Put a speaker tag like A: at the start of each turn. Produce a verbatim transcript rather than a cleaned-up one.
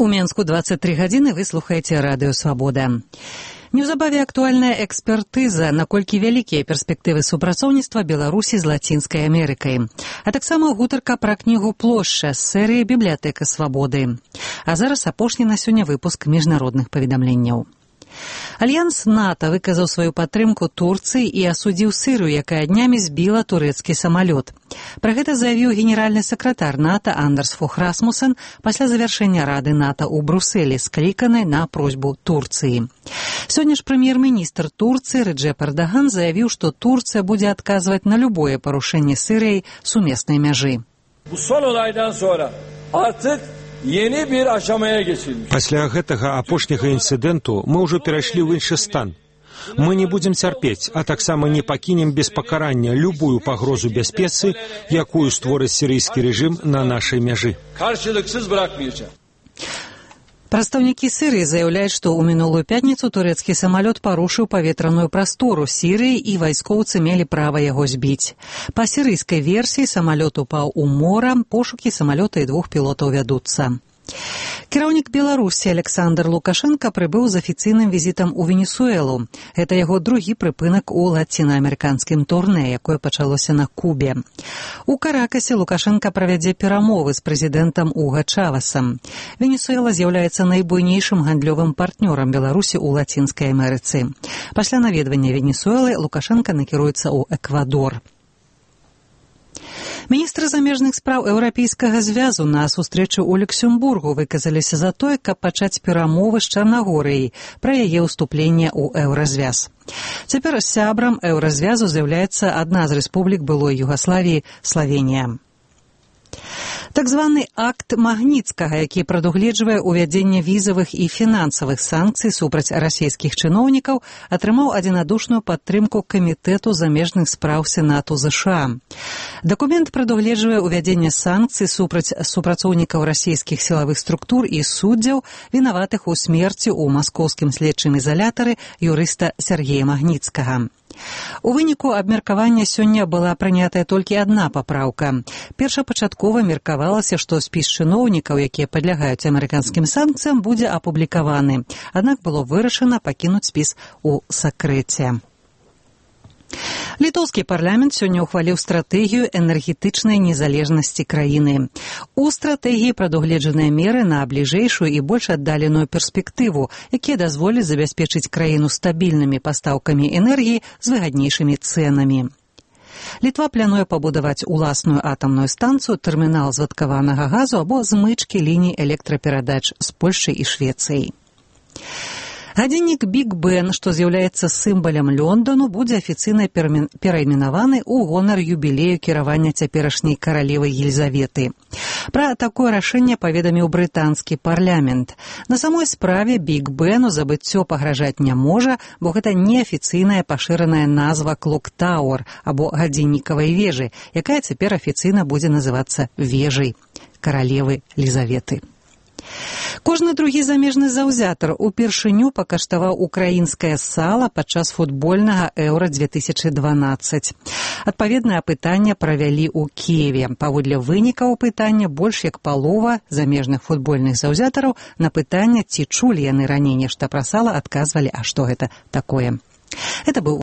A: У Менску двадцать три гадзіны вы слухаеце радыё «Свабода». Неўзабаве актуальная экспертыза, наколькі вялікія перспектывы супрацоўніцтва Беларусі з Лацінскай Амерыкай. А таксама гутарка пра кнігу «Плошча» з серыі «Бібліятэка свабоды». А зараз апошні на сёння выпуск міжнародных паведамленняў. Альянс НАТО выказаў сваю падтрымку Турцыі і асудзіў Сырыю, якая днямі збіла турэцкі самалёт. Пра гэта заявіў генеральны сакратар НАТО Андерс Фох Расмуссен пасля завяршэння Рады НАТО ў Брусэлі, скліканай на просьбу Турцыі. Сёння ж прэм'ер-міністр Турцыі Реджеп Эрдоган заявіў, што Турцыя будзе адказваць на любое парушэнне Сырыяй сумеснай мяжы.
B: Пасля гэтага апошняга інцыдэнту мы ўжо перайшлі ў іншы стан. Мы не будзем цярпець, а таксама не пакінем без пакарання любую пагрозу бяспецы, якую створыць сірыйскі рэжым на нашай мяжы.
A: Прадстаўнікі Сырыі заяўляюць, што ў мінулую пятніцу турэцкі самалёт парушыў паветраную прастору Сірыі і вайскоўцы мелі права яго збіць. Па сірыйскай версіі самалёт упаў у мора, пошукі самалёта і двух пілотаў вядуцца. Кіраўнік Беларусі Александр Лукашенко прыбыў з афіцыйным візітам у Венесуэлу. Гэта яго другі прыпынак у лацінаамерыканскім турнэ, якое пачалося на Кубе. У Каракасе Лукашенко правядзе перамовы з прэзідэнтам Уга Чавасам. Венесуэла з'яўляецца найбуйнейшым гандлёвым партнёрам Беларусі ў Лацінскай Амерыцы. Пасля наведвання Венесуэлы Лукашенко накіруецца ў Эквадор. Міністры замежных спраў Еўрапейскага звязу на сустрэчы ў Люксембургу выказаліся за тое, каб пачаць перамовы з Чарнагорыяй пра яе ўступленне ў еўразвяз. Цяпер сябрам еўразвязу з'яўляецца адна з рэспублік былой Югаславіі – Славенія. Так званы акт Магніцкага, які прадугледжвае ўвядзенне візавых і фінансавых санкцый супраць расійскіх чыноўнікаў, атрымаў адзінадушную падтрымку Камітэту замежных спраў Сенату ЗША. Дакумент прадугледжвае ўвядзенне санкцый супраць супрацоўнікаў расійскіх сілавых структур і суддзяў, вінаватых у смерці ў маскоўскім следчым ізалятары юрыста Сергея Магніцкага. У выніку абмеркавання сёння была прынятая толькі адна папраўка. Першапачаткова меркавалася, што спіс чыноўнікаў, якія падлягаюць амерыканскім санкцыям, будзе апублікаваны. Аднак было вырашана пакінуць спіс у сакрэце. Літоўскі парламент сёння ўхваліў стратэгію энергетычнай незалежнасці краіны. У стратэгіі прадугледжаныя меры на бліжэйшую і больш аддаленую перспектыву, якія дазволяць забяспечыць краіну стабільнымі пастаўкамі энергіі з выгаднейшымі цэнамі. Літва плануе пабудаваць уласную атамную станцыю, тэрмінал звадкаванага газу або змычкі ліній электраперадач з Польшчай і Швецыяй. Гадзіннік Біг Бен, што з'яўляецца сімвалам Лондану, будзе афіцыйна перайменаваны ў гонар юбілею кіравання цяперашняй каралевы Елізаветы. Пра такое рашэнне паведаміў брытанскі парламент. На самой справе Біг Бену забыццё пагражаць не можа, бо гэта неафіцыйная пашыраная назва Клок Тауэр або гадзіннікавай вежы, якая цяпер афіцыйна будзе называцца вежай каралевы Елізаветы. Кожны другі замежны заўзятар упершыню пакаштаваў украінскае сала падчас футбольнага Еўра две тысячы дванаццаць. Адпаведнае апытанне правялі ў Кіеве. Паводле вынікаў апытання больш як палова замежных футбольных заўзятараў на пытанне, ці чулі яны раней нешта пра сала, адказвалі, а што гэта такое. Это быў